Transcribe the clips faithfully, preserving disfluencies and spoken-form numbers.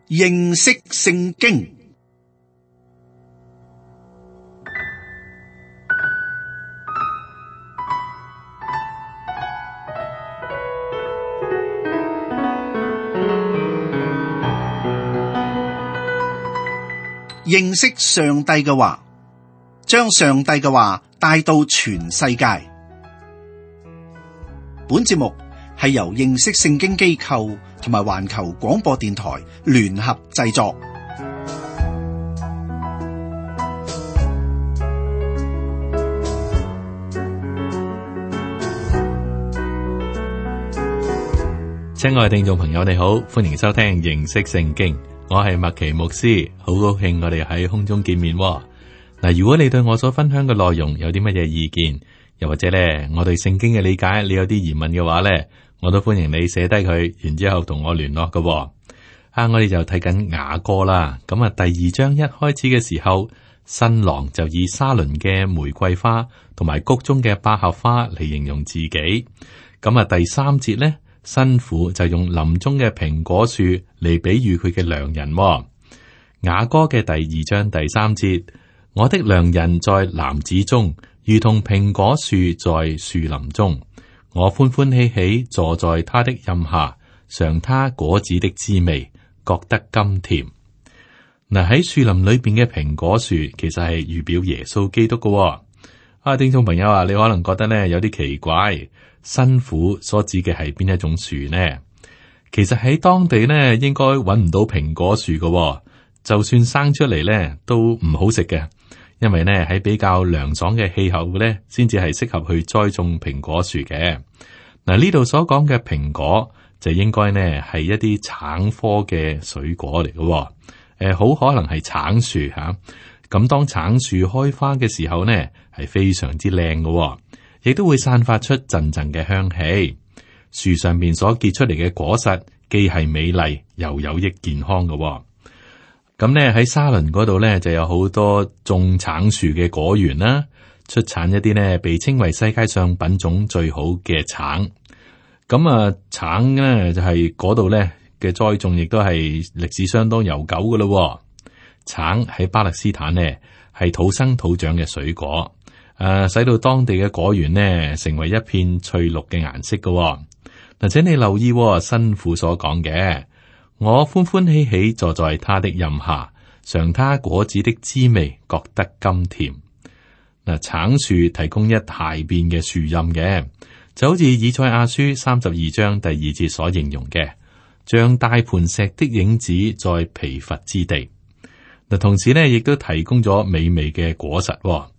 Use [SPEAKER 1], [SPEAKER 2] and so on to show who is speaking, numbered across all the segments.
[SPEAKER 1] 認識聖經。認識上帝嘅話，將上帝嘅話帶到全世界。本節目係由認識聖經機構同埋環球廣播電台聯合製作。
[SPEAKER 2] 親愛的聽眾朋友，你好，歡迎收聽認識聖經。我係麥奇牧師，好高興我哋喺空中見面喎。嗱，如果你對我所分享嘅內容有啲乜嘢意見，又或者咧我對聖經嘅理解你有啲疑問嘅話咧，我都歡迎你寫低佢，然之後同我聯絡嘅喎。啊，我哋就睇緊雅歌啦。咁啊，第二章一開始嘅時候，新郎就以沙崙嘅玫瑰花同埋谷中嘅百合花嚟形容自己。咁啊，第三節咧，新婦就用林中嘅蘋果樹嚟比喻佢嘅良人喎。雅歌嘅第二章第三節，我的良人在男子中，如同蘋果樹在樹林中。我歡歡喜喜坐在他的蔭下，嘗他果子的滋味，覺得甘甜。嗱，喺樹林裏邊嘅蘋果樹，其實係預表耶穌基督嘅喎。啊，聽眾朋友啊，你可能覺得呢有啲奇怪。新婦所指嘅係邊一種樹呢？其實喺當地呢，應該揾唔到蘋果樹嘅喎，就算生出嚟呢都唔好食嘅，因為呢喺比較涼爽嘅氣候呢，先至係適合去栽種蘋果樹嘅。嗱，呢度所講嘅蘋果就應該呢係一啲橙科嘅水果嚟嘅喎，誒，好可能係橙樹吓。咁當橙樹開花嘅時候呢，係非常之靚嘅喎。亦都會散發出陣陣嘅香氣，樹上面所結出嚟嘅果實既係美麗又有益健康嘅、哦。咁呢喺沙崙嗰度呢，就有好多種橙樹嘅果園啦，出產一啲呢被稱為世界上品種最好嘅橙。咁啊，橙呢就係嗰度呢嘅栽種，亦都係歷史相當悠久嘅咯、哦。橙喺巴勒斯坦呢係土生土長嘅水果。誒、啊，使到當地嘅果園呢，成為一片翠綠嘅顏色嘅、哦。嗱，請你留意、哦、新婦所講嘅，我歡歡喜喜坐在他的蔭下，嘗他果子的滋味，覺得甘甜。嗱，橙樹提供一大片嘅樹蔭嘅，就好似以賽亞書三十二章第二節所形容嘅，像大磐石的影子在疲乏之地。嗱，同時呢，亦都提供咗美味嘅果實、哦。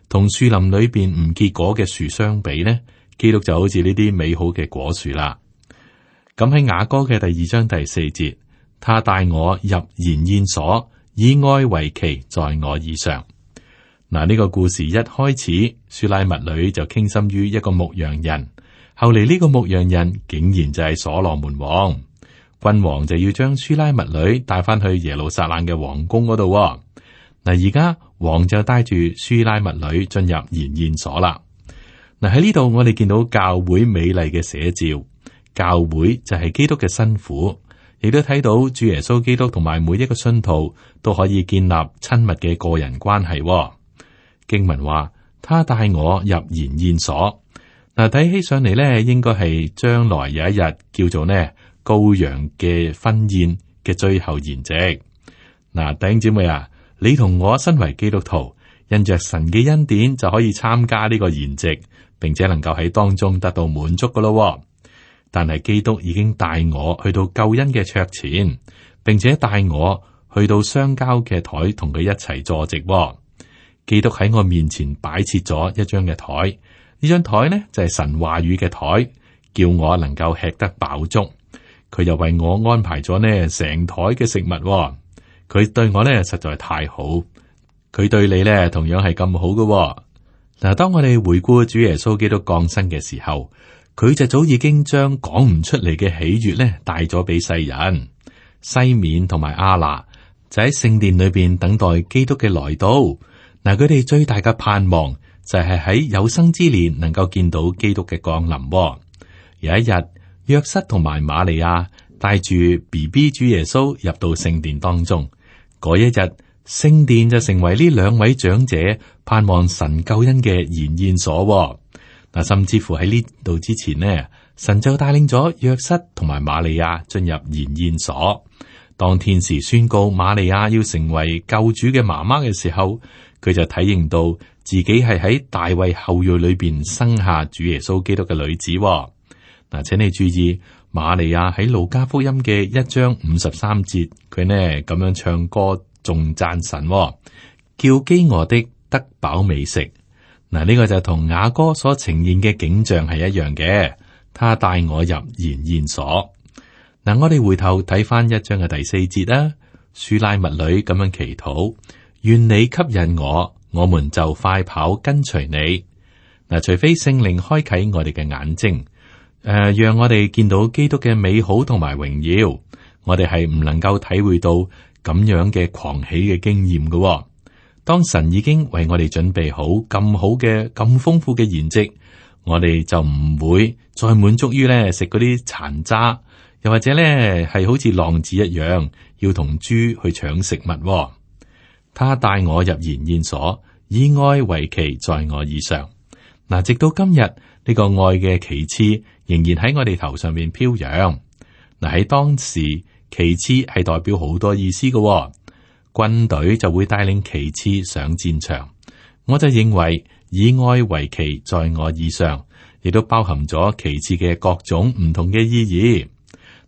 [SPEAKER 2] 同樹林裏邊唔結果嘅樹相比呢，基督就好似呢啲美好嘅果樹啦。咁喺雅歌嘅第二章第四節，他帶我入筵宴所，以愛為旗，在我以上。嗱，呢個故事一開始，書拉密女就傾心於一個牧羊人，後嚟呢個牧羊人竟然就係所羅門王，君王就要將書拉密女帶翻去耶路撒冷嘅皇宮嗰度。嗱，而家王就帶住書拉密女進入筵宴所啦。嗱，喺呢度我哋見到教會美麗嘅寫照，教會就係基督嘅新婦，亦都睇到主耶穌基督同埋每一個信徒都可以建立親密嘅個人關係。經文話，他帶我入筵宴所。嗱，睇起上嚟咧，應該係將來有一日叫做呢羔羊嘅婚宴嘅最後筵席。嗱，弟兄姊妹啊，你同我身為基督徒，因着神嘅恩典就可以參加呢個筵席，並且能夠喺當中得到滿足噶咯。但係基督已經帶我去到救恩嘅桌前，並且帶我去到相交嘅台，同佢一齊坐席。基督喺我面前擺設咗一張嘅台，呢張台呢就係神話語嘅台，叫我能夠吃得飽足。佢又為我安排咗呢成台嘅食物。佢對我咧實在太好，佢對你咧同樣係咁好嘅。嗱，當我哋回顧主耶穌基督降生嘅時候，佢就早已經將講唔出嚟嘅喜悅咧帶咗俾世人。西面同埋亞拿就喺聖殿裏邊等待基督嘅來到。嗱，佢哋最大嘅盼望就係喺有生之年能夠見到基督嘅降臨。有一日，約瑟同埋瑪利亞帶住 B B 主耶穌入到聖殿當中。嗰一日，聖殿就成為呢兩位長者盼望神救恩嘅筵宴所。嗱，甚至乎喺呢度之前呢，神就帶領咗約瑟同埋瑪利亞進入筵宴所。當天使宣告瑪利亞要成為救主嘅媽媽嘅時候，佢就體認到自己係喺大衛後裔裏邊生下主耶穌基督嘅女子。嗱，請你注意，瑪利亞喺路加福音嘅一章五十三節，佢呢咁樣唱歌，仲讚神，叫飢餓的得飽美食。嗱，呢個就同雅歌所呈現嘅景象係一樣嘅。他帶我入筵宴所。嗱，我哋回頭睇翻一章嘅第四節啦。書拉密女咁樣祈禱，願你吸引我，我們就快跑跟隨你。嗱，除非聖靈開啟我哋嘅眼睛，誒、呃，讓我哋見到基督嘅美好同埋榮耀，我哋係唔能夠體會到咁樣嘅狂喜嘅經驗嘅。當神已經為我哋準備好咁好嘅、咁豐富嘅筵席，我哋就唔會再滿足於咧食嗰啲殘渣，又或者咧係好似浪子一樣要同豬去搶食物。他帶我入筵宴所，以愛為旗在我以上。嗱，直到今日呢、這個愛嘅旗幟仍然喺我哋頭上面飄揚。嗱，喺當時旗幟係代表好多意思嘅，軍隊就會帶領旗幟上戰場。我就認為以愛為旗在我以上，亦都包含咗旗幟嘅各種唔同嘅意義。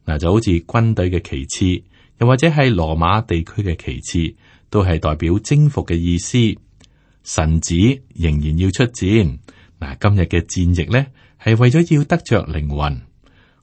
[SPEAKER 2] 嗱，就好似軍隊嘅旗幟，又或者係羅馬地區嘅旗幟，都係代表征服嘅意思。神子仍然要出戰。嗱，今日嘅戰役呢，係為咗要得着靈魂。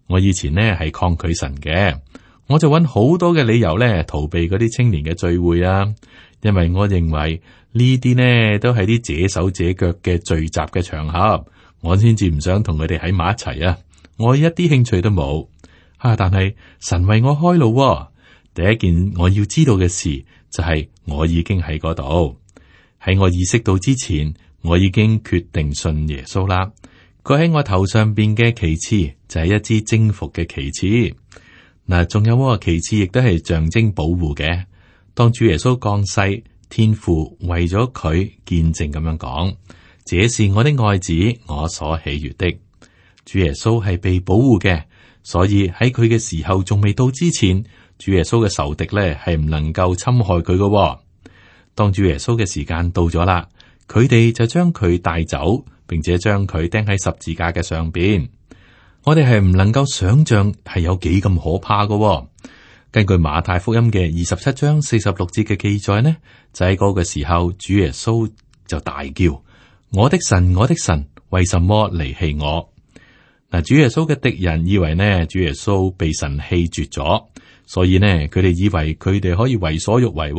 [SPEAKER 2] 我以前呢係抗拒神嘅，我就揾好多嘅理由咧逃避嗰啲青年嘅聚會啊，因為我認為呢啲呢都係啲這手這腳嘅聚集嘅場合，我先至唔想同佢哋喺埋一齊啊，我一啲興趣都冇啊。但係神為我開路啊，第一件我要知道嘅事就係我已經喺嗰度，喺我意識到之前，我已經決定信耶穌啦。佢喺我頭上邊嘅旗幟就係一支征服嘅旗幟。嗱，仲有個旗幟亦都係象徵保護嘅。當主耶穌降世，天父為咗佢見證咁樣講：這是我的愛子，我所喜悅的。主耶穌係被保護嘅，所以喺佢嘅時候仲未到之前，主耶穌嘅仇敵咧係唔能夠侵害佢嘅。當主耶穌嘅時間到咗啦，佢哋就將佢帶走，並且將佢釘喺十字架嘅上邊。我哋係唔能夠想象係有幾咁可怕嘅。根據馬太福音嘅二十七章四十六節嘅記載呢，就喺嗰個時候，主耶穌就大叫：我的神，我的神，為什麼離棄我？嗱，主耶穌嘅敵人以為呢，主耶穌被神棄絕咗，所以呢，佢哋以為佢哋可以為所欲為。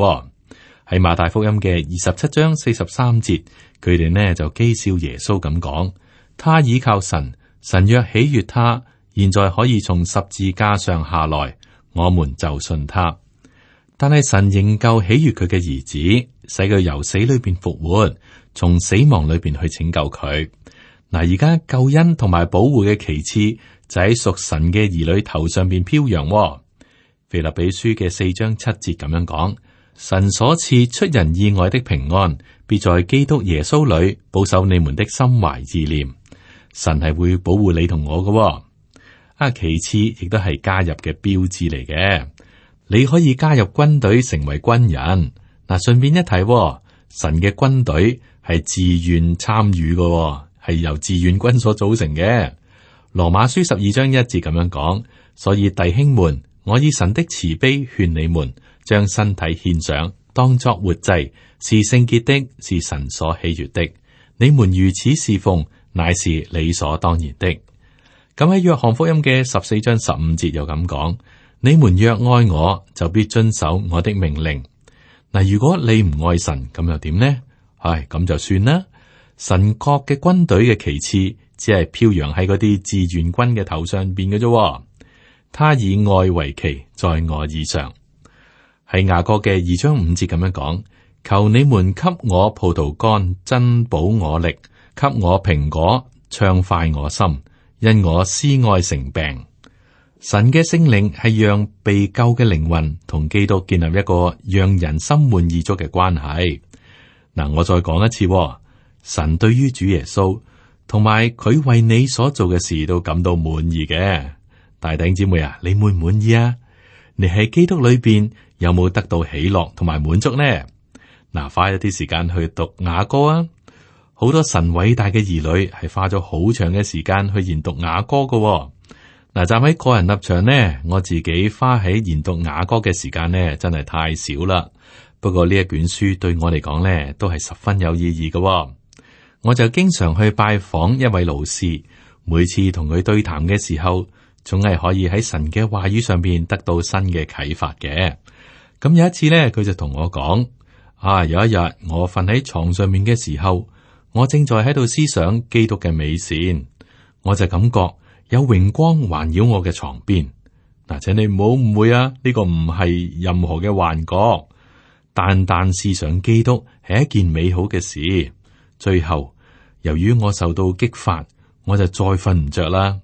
[SPEAKER 2] 喺馬太福音嘅二十七章四十三節，佢哋呢就譏笑耶穌咁講：他倚靠神，神若喜悅他，現在可以從十字架上下來，我們就信他。但係神仍舊喜悅佢嘅兒子，使佢由死裏邊復活，從死亡裏邊去拯救佢。嗱，而家救恩同埋保護嘅旗幟就喺屬神嘅兒女頭上邊飄揚。腓立比書嘅四章七節咁樣講：神所賜出人意外的平安，必在基督耶穌裏保守你們的心懷意念。神係會保護你同我嘅。啊，其次亦都係加入嘅標誌嚟嘅。你可以加入軍隊成為軍人。嗱，順便一提，神嘅軍隊係自願參與嘅，係由志願軍所組成嘅。羅馬書十二章一節咁樣講，所以弟兄們，我以神的慈悲勸你們，將身體獻上，當作活祭，是聖潔的，是神所喜悅的。你們如此侍奉，乃是理所當然的。咁喺約翰福音嘅十四章十五節又咁講：你們若愛我，就必遵守我的命令。嗱，如果你唔愛神，咁又點呢？唉，咁就算啦。神國嘅軍隊嘅旗幟只係飄揚喺嗰啲志願軍嘅頭上邊嘅啫。他以愛為旗，在我以上。喺雅歌嘅二章五節咁樣講：求你們給我葡萄乾，增補我力；給我蘋果，暢快我心，因我思愛成病。神嘅聖靈係讓被救嘅靈魂同基督建立一個讓人心滿意足嘅關係。嗱，我再講一次，神對於主耶穌同埋佢為你所做嘅事都感到滿意嘅。大弟兄姊妹啊，你滿唔滿意啊？你喺基督裏邊有冇得到喜樂同埋滿足呢？嗱，花一啲時間去讀雅歌啊！好多神偉大嘅兒女係花咗好長嘅時間去研讀雅歌嘅。嗱，站喺個人立場呢，我自己花喺研讀雅歌嘅時間呢，真係太少啦。不過呢一卷書對我嚟講呢，都係十分有意義嘅。我就經常去拜訪一位老師，每次同佢對談嘅時候，總係可以喺神嘅話語上邊得到新嘅啟發嘅。咁有一次呢，佢就同我講：啊，有一日我瞓喺床上面嘅時候，我正在喺度思想基督嘅美善，我就感覺有榮光環繞我嘅床邊。嗱，請你唔好誤會啊，呢個唔係任何嘅幻覺，單單思想基督係一件美好嘅事。最後，由於我受到激發，我就再瞓唔着啦。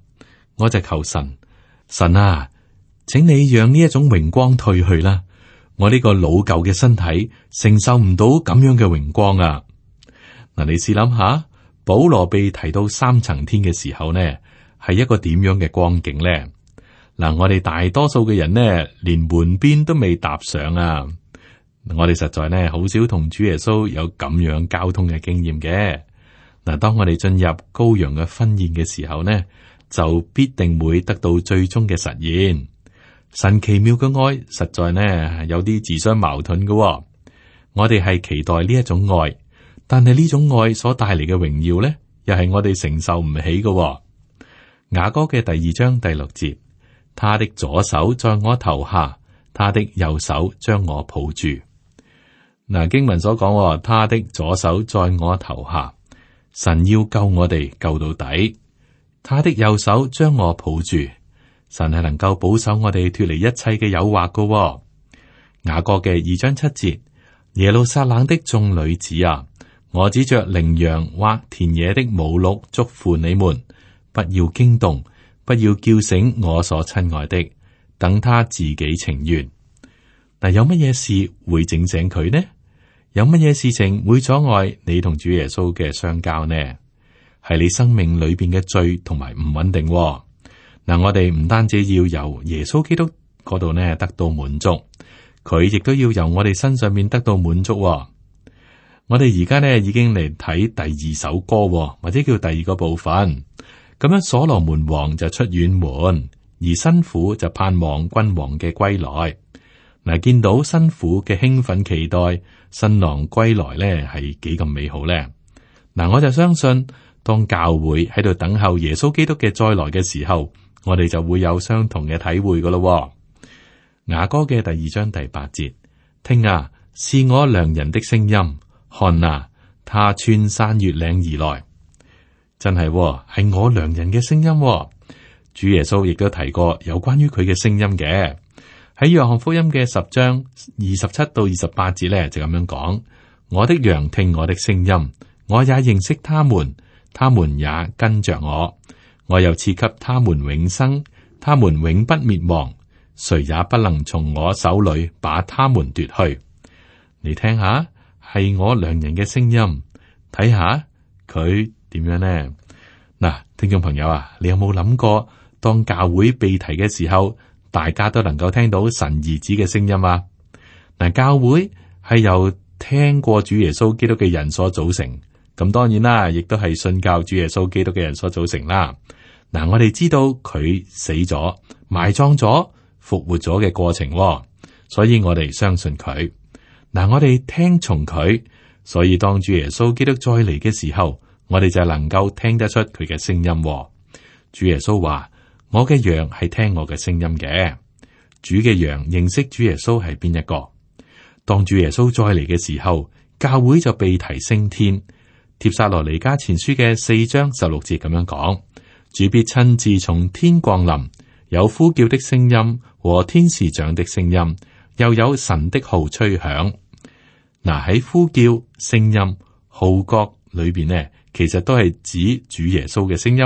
[SPEAKER 2] 我就求神，神啊，請你讓呢一種榮光退去啦。我呢個老舊嘅身體承受唔到咁樣嘅榮光啊！嗱，你試諗下，保羅被提到三層天嘅時候呢，係一個點樣嘅光景呢？嗱，我哋大多數嘅人呢，連門邊都未踏上啊！我哋實在呢，好少同主耶穌有咁樣交通嘅經驗嘅。嗱，當我哋進入羔羊嘅婚宴嘅時候呢，就必定會得到最終嘅實現。神奇妙嘅愛，實在呢有啲自相矛盾嘅喎。我哋係期待呢一種愛，但係呢種愛所帶嚟嘅榮耀呢，又係我哋承受唔起嘅喎。雅歌嘅第二章第六節，他的左手在我頭下，他的右手將我抱住。嗱，經文所講，他的左手在我頭下，神要救我哋救到底，他的右手將我抱住。神係能夠保守我哋脫離一切嘅誘惑噶喎。雅歌嘅二章七節，耶路撒冷的眾女子啊，我指着羚羊或田野的母鹿囑咐你們，不要驚動，不要叫醒我所親愛的，等他自己情願。但有乜嘢事會整醒佢呢？有乜嘢事情會阻礙你同主耶穌嘅相交呢？係你生命裏邊嘅罪同埋唔穩定喎。嗱，我哋唔單止要由耶穌基督嗰度呢得到滿足，佢亦都要由我哋身上面得到滿足喎。我哋而家呢已經嚟睇第二首歌喎，或者叫第二個部分。咁樣，所羅門王就出遠門，而新婦就盼望君王嘅歸來。嗱，見到新婦嘅興奮期待新郎歸來呢，係幾咁美好呢？嗱，我就相信，當教會喺度等候耶穌基督嘅再來嘅時候，我哋就會有相同嘅體會噶咯。雅歌嘅第二章第八節，聽啊，是我良人的聲音，看啊，他穿山越嶺而來，真係係我良人嘅聲音。主耶穌亦都提過有關於佢嘅聲音嘅，喺約翰福音嘅十章二十七到二十八節咧，就咁樣講：我的羊聽我的聲音，我也認識他們，他們也跟着我。我又賜給他們永生，他們永不滅亡，誰也不能從我手裏把他們奪去。你聽下，係我良人嘅聲音，睇下佢點樣呢？嗱，聽眾朋友啊，你有冇諗過，當教會被提嘅時候，大家都能夠聽到神兒子嘅聲音啊？嗱，教會係由聽過主耶穌基督嘅人所組成，咁當然啦，亦都係信教主耶穌基督嘅人所組成啦。嗱，我哋知道佢死咗、埋葬咗、復活咗嘅過程，所以我哋相信佢。嗱，我哋聽從佢，所以當主耶穌基督再嚟嘅時候，我哋就能夠聽得出佢嘅聲音。主耶穌話：我嘅羊係聽我嘅聲音嘅。主嘅羊認識主耶穌係邊一個？當主耶穌再嚟嘅時候，教會就被提升天。帖撒羅尼迦前書嘅四章十六節咁樣講。主必親自從天降臨，有呼叫的聲音和天使長的聲音，又有神的號吹響。嗱，喺呼叫、聲音、號角裏邊呢，其實都係指主耶穌嘅聲音。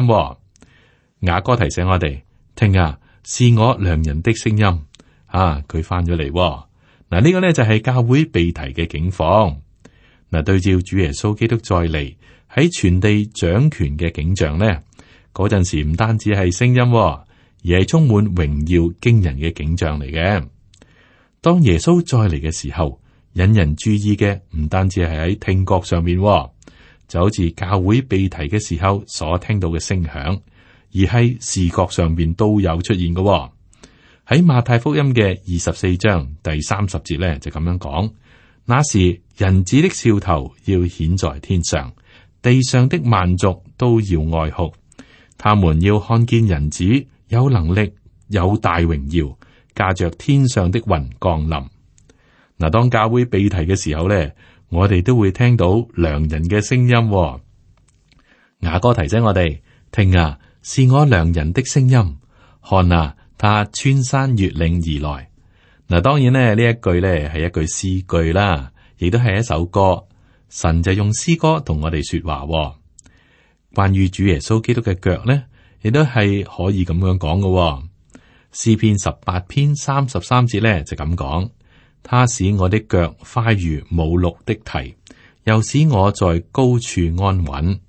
[SPEAKER 2] 雅歌提醒我哋，聽啊，是我良人的聲音。啊，佢翻咗嚟。嗱，呢個呢就係教會被提嘅境況。嗱，對照主耶穌基督再嚟喺全地掌權嘅景象呢，嗰陣時唔單止係聲音，而係充滿榮耀驚人嘅景象嚟嘅。當耶穌再嚟嘅時候，引人注意嘅唔單止係喺聽覺上面，就好似教會被提嘅時候所聽到嘅聲響，而係視覺上面都有出現嘅。喺馬太福音嘅二十四章第三十節咧就咁樣講：那時人子的兆頭要顯在天上，地上的萬族都要哀哭，他們要看見人子有能力有大榮耀，駕着天上的雲降臨。嗱，當教會被提嘅時候咧，我哋都會聽到良人嘅聲音。雅歌提醒我哋：聽啊，是我良人的聲音；看啊，他穿山越嶺而來。嗱，當然咧，呢一句咧係一句詩句啦，亦都係一首歌。神就用詩歌同我哋說話。關於主耶穌基督嘅腳咧，亦都係可以咁樣講嘅。詩篇十八篇三十三節咧就咁講：他使我的腳快如母鹿的蹄，又使我在高處安穩。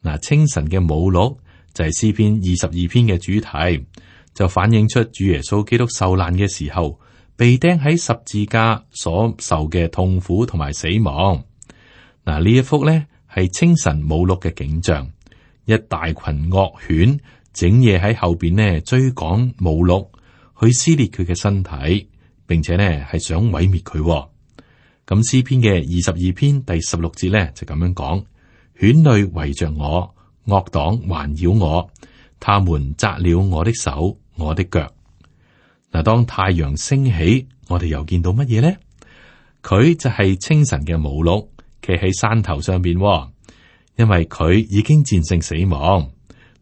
[SPEAKER 2] 嗱，清晨嘅母鹿就係詩篇二十二篇嘅主題，就反映出主耶穌基督受難嘅時候，被釘喺十字架所受嘅痛苦同埋死亡。嗱，呢一幅呢係清晨母鹿嘅景象，一大群惡犬整夜喺後邊呢追趕母鹿，去撕裂佢嘅身體，並且呢係想毀滅佢。咁詩篇嘅二十二篇第十六節呢就咁樣講：犬類圍着我，惡黨環繞我，他們扎了我的手，我的腳。嗱，當太陽升起，我哋又見到乜嘢呢？佢就係清晨嘅母鹿，企喺山頭上邊，因為佢已經戰勝死亡。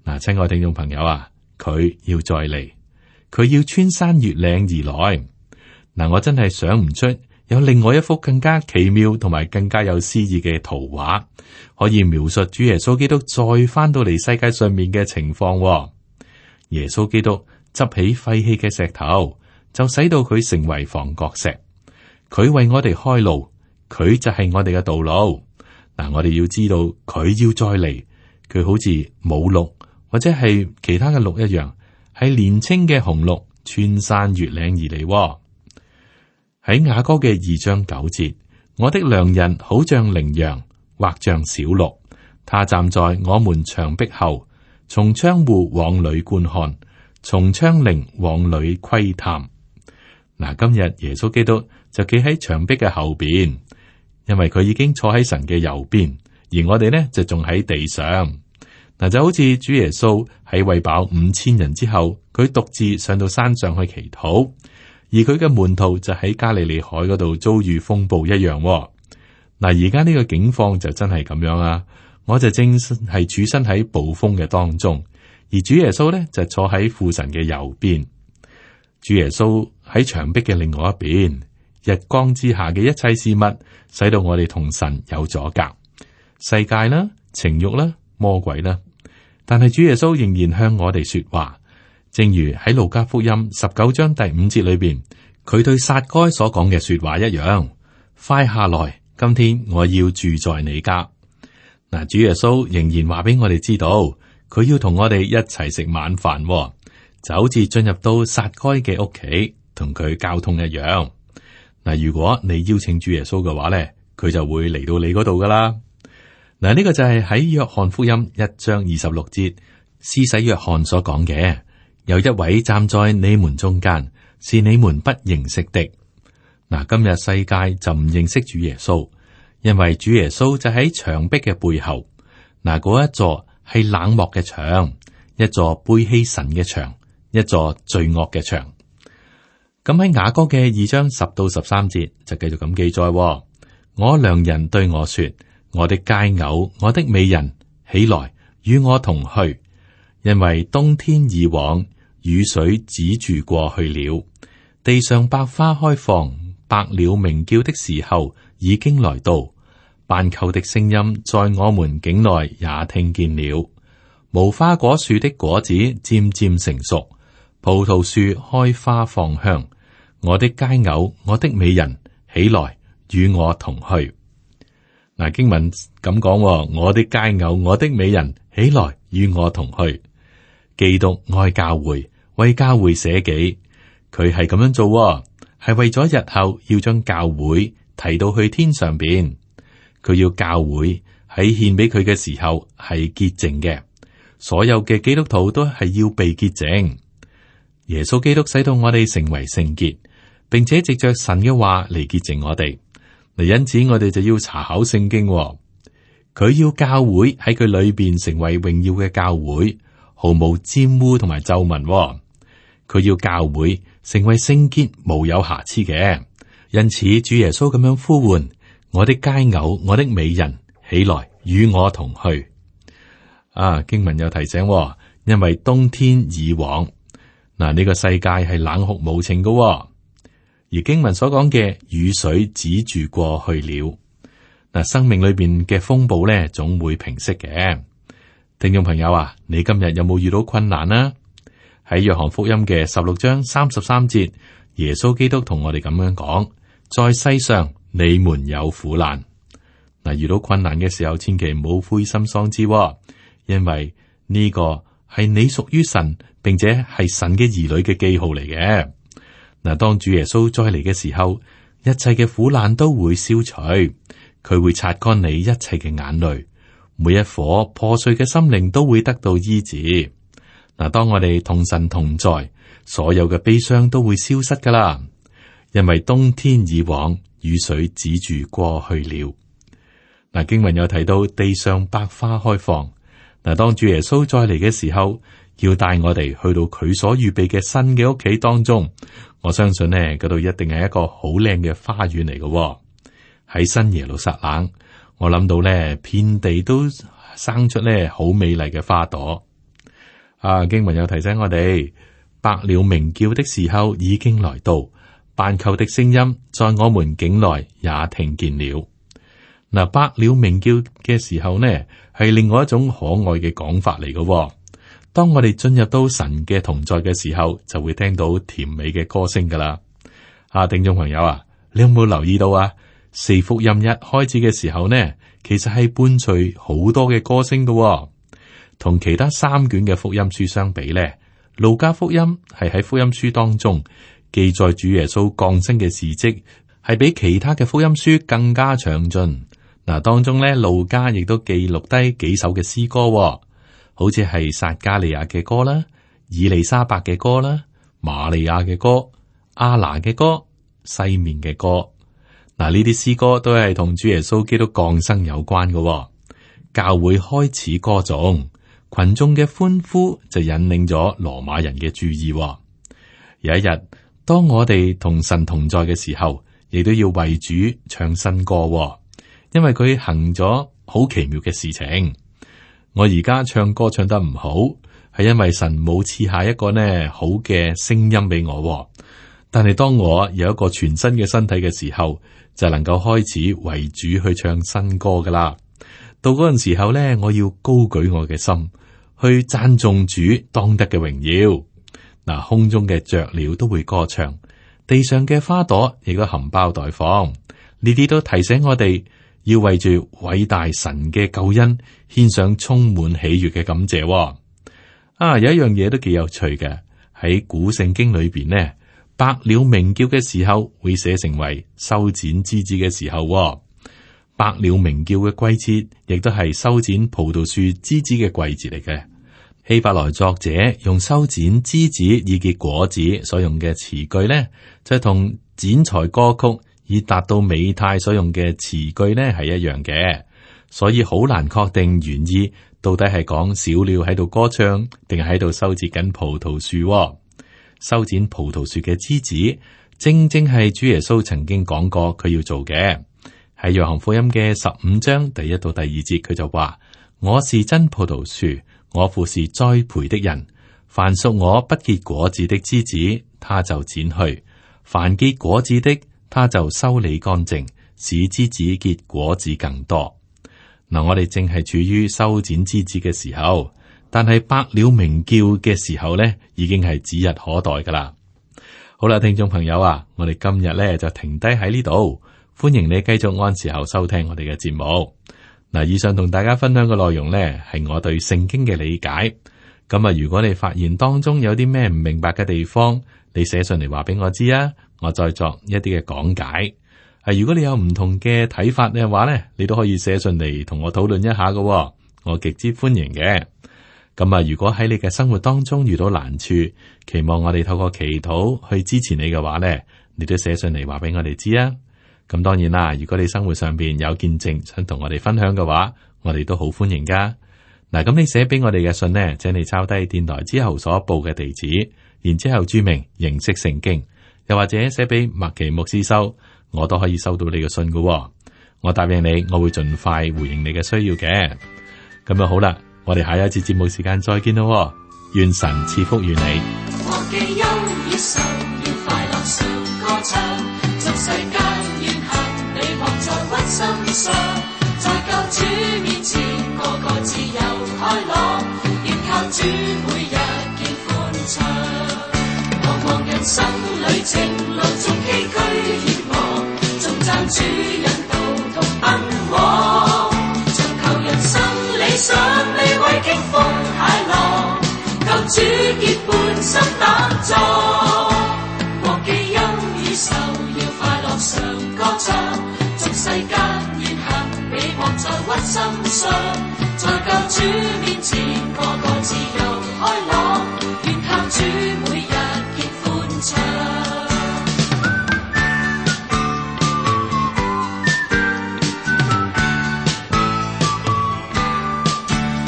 [SPEAKER 2] 嗱，親愛聽眾朋友啊，佢要再嚟，佢要穿山越嶺而來。嗱，我真係想唔出有另外一幅更加奇妙同埋更加有詩意嘅圖畫，可以描述主耶穌基督再翻到嚟世界上面嘅情況。耶穌基督執起廢棄嘅石頭，就使到佢成為房角石。佢為我哋開路，佢就係我哋嘅道路。嗱，我哋要知道佢要再嚟，佢好似母鹿或者係其他嘅鹿一樣，係年青嘅雄鹿穿山越嶺而嚟。喺雅歌嘅二章九節，我的良人好像羚羊，或像小鹿，他站在我們牆壁後，從窗戶往裏觀看，從窗棂往裏窺探。嗱，今日耶穌基督就企喺牆壁嘅後邊，因為佢已經坐喺神嘅右邊，而我哋呢就仲喺地上。嗱，就好似主耶穌喺餵飽五千人之後，佢獨自上到山上去祈禱，而佢嘅門徒就喺加利利海嗰度遭遇風暴一樣。嗱，而家呢個境況就真係咁樣啊！我就正係處身喺暴風嘅當中，而主耶穌呢就坐喺父神嘅右邊。主耶穌喺牆壁嘅另外一邊，日光之下嘅一切事物，使到我哋同神有阻隔，世界啦、情慾啦、魔鬼啦。但係主耶穌仍然向我哋說話，正如喺路加福音十九章第五節裏邊，佢對撒該所講嘅說話一樣：快下來，今天我要住在你家。嗱，主耶穌仍然話俾我哋知道，佢要同我哋一齊食晚飯，就好似進入到撒該嘅屋企，同佢交通一樣。嗱，如果你邀請主耶穌嘅話咧，佢就會嚟到你嗰度噶啦。嗱，呢個就係喺約翰福音一章二十六節，施洗約翰所講嘅，有一位站在你們中間，是你們不認識的。嗱，今日世界就唔認識主耶穌，因為主耶穌就喺牆壁嘅背後。嗱，嗰一座係冷漠嘅牆，一座背棄神嘅牆，一座罪惡嘅牆。咁喺雅歌嘅二章十到十三節就繼續咁記載：我良人對我說，我的佳偶，我的美人，起來與我同去，因為冬天已往，雨水止住過去了，地上百花開放，百鳥鳴叫的時候已經來到，斑鳩的聲音在我們境內也聽見了，無花果樹的果子漸漸成熟，葡萄樹開花放香，我的佳偶，我的美人，起來與我同去。嗱，經文咁講，我的佳偶，我的美人，起來與我同去。基督愛教會，為教會捨己，佢係咁樣做，係為咗日後要將教會提到去天上邊。佢要教會喺獻俾佢嘅時候係潔淨嘅，所有嘅基督徒都係要被潔淨。耶穌基督使到我哋成為聖潔，並且藉着神嘅話嚟潔淨我哋。嗱，因此我哋就要查考聖經，佢要教會喺佢裏邊成為榮耀嘅教會，毫無沾污同埋皺紋。佢要教會成為聖潔無有瑕疵嘅。因此主耶穌咁樣呼喚：我的佳偶，我的美人，起來與我同去。啊，經文又提醒，因為冬天已往，嗱，呢個世界係冷酷無情嘅。而經文所講嘅雨水止住過去了，嗱，生命裏邊嘅風暴咧總會平息嘅。聽眾朋友啊，你今日有冇遇到困難啊？喺約翰福音嘅十六章三十三節，耶穌基督同我哋咁樣講：在世上你們有苦難。嗱，遇到困難嘅時候，千祈唔好灰心喪志，因為呢個係你屬於神，並且係神嘅兒女嘅記號嚟嘅。嗱，當主耶穌再嚟嘅時候，一切嘅苦難都會消除，佢會擦乾你一切嘅眼淚，每一顆破碎嘅心靈都會得到醫治。嗱，當我哋同神同在，所有嘅悲傷都會消失噶啦，因為冬天已往，雨水止住過去了。嗱，經文有提到地上百花開放。嗱，當主耶穌再嚟嘅時候，要帶我哋去到佢所預備嘅新嘅屋企當中。我相信呢，嗰度一定係一個好靚嘅花園嚟嘅。喺新耶路撒冷，我諗到呢，遍地都生出呢好美麗嘅花朵。啊，經文有提醒我哋，百鳥鳴叫的時候已經來到，斑鳩的聲音在我們境內也聽見了。嗱，百鳥鳴叫嘅時候呢，係另外一種可愛嘅講法嚟嘅。當我哋進入到神嘅同在嘅時候，就會聽到甜美嘅歌聲噶啦。啊，聽眾朋友啊，你有冇留意到啊？四福音一開始嘅時候呢，其實係伴隨好多嘅歌聲噶。同其他三卷嘅福音書相比呢，路加福音係喺福音書當中記載主耶穌降生嘅事跡，係比其他嘅福音書更加詳盡。嗱，當中咧，路加亦都記錄低幾首嘅詩歌。好似係撒加利亞嘅歌啦、以利沙伯嘅歌啦、瑪利亞嘅歌、亞拿嘅歌、西面嘅歌。嗱，呢啲詩歌都係同主耶穌基督降生有關嘅。教會開始歌頌，群眾嘅歡呼就引領咗羅馬人嘅注意。有一日，當我哋同神同在嘅時候，亦都要為主唱新歌，因為佢行咗好奇妙嘅事情。我而家唱歌唱得唔好，係因為神冇賜下一個呢好嘅聲音俾我。但係當我有一個全新嘅身體嘅時候，就能夠開始為主去唱新歌噶啦。到嗰陣時候呢，我要高舉我嘅心，去讚頌主當得嘅榮耀。嗱，空中嘅雀鳥都會歌唱，地上嘅花朵亦都含苞待放。呢啲都提醒我哋，要為住偉大神嘅救恩獻上充滿喜悅嘅感謝。啊，有一樣嘢都幾有趣嘅，喺古聖經裏邊呢，百鳥鳴叫嘅時候會寫成為修剪枝子嘅時候。百鳥鳴叫嘅季節亦都係修剪葡萄樹枝子嘅季節嚟嘅。希伯來作者用修剪枝子以結果子所用嘅詞句呢，就同剪裁歌曲以達到美態所用嘅詞句呢係一樣嘅，所以好難確定原意到底係講小鳥喺度歌唱，定係喺度修剪緊葡萄樹。修剪葡萄樹嘅枝子，正正係主耶穌曾經講過佢要做嘅。喺約翰福音嘅十五章第一到第二節，佢就話：我是真葡萄樹，我父是栽培的人。凡屬我不結果子的枝子，他就剪去；凡結果子的，他就修理乾淨，使枝子結果子更多。嗱，我哋正係處於修剪枝子嘅時候，但係百鳥鳴叫嘅時候呢，已經係指日可待噶啦。好啦，聽眾朋友啊，我哋今日呢就停低喺呢度，歡迎你繼續按時候收聽我哋嘅節目。嗱，以上同大家分享嘅內容呢，係我對聖經嘅理解。咁啊，如果你發現當中有啲咩唔明白嘅地方，你寫信嚟話俾我知啊，我再作一啲嘅講解。啊，如果你有唔同嘅睇法嘅話呢，你都可以寫信嚟同我討論一下嘅，我極之歡迎嘅。咁啊，如果喺你嘅生活當中遇到難處，期望我哋透過祈禱去支持你嘅話呢，你都寫信嚟話俾我哋知啊。咁當然啦，如果你生活上邊有見證想同我哋分享嘅話，我哋都好歡迎噶。嗱，咁你寫俾我哋嘅信呢，請你抄低電台之後所報嘅地址，然之後注明認識聖經，又或者寫俾麥奇牧師收，我都可以收到你嘅信噶。我答應你，我會盡快回應你嘅需要嘅。咁就好啦，我哋下一次節目時間再見咯。願神賜福於你。
[SPEAKER 3] 忘記憂與愁，要快樂常歌唱，俗世間怨恨，你莫在屈心上，在救主面前，個個自由開朗，要靠主每日見歡暢。茫茫人生旅程，路中崎嶇險惡，縱讚主引導同奔往，尋求人生理想，未為經風駭浪，救主結伴心膽壯，忘記憂與愁，要快樂常歌唱，俗世間怨恨，你莫在屈心上，在救主面前，個個自由開朗，願靠主每日見歡暢。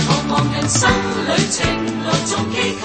[SPEAKER 3] 茫茫人生旅程，路縱崎嶇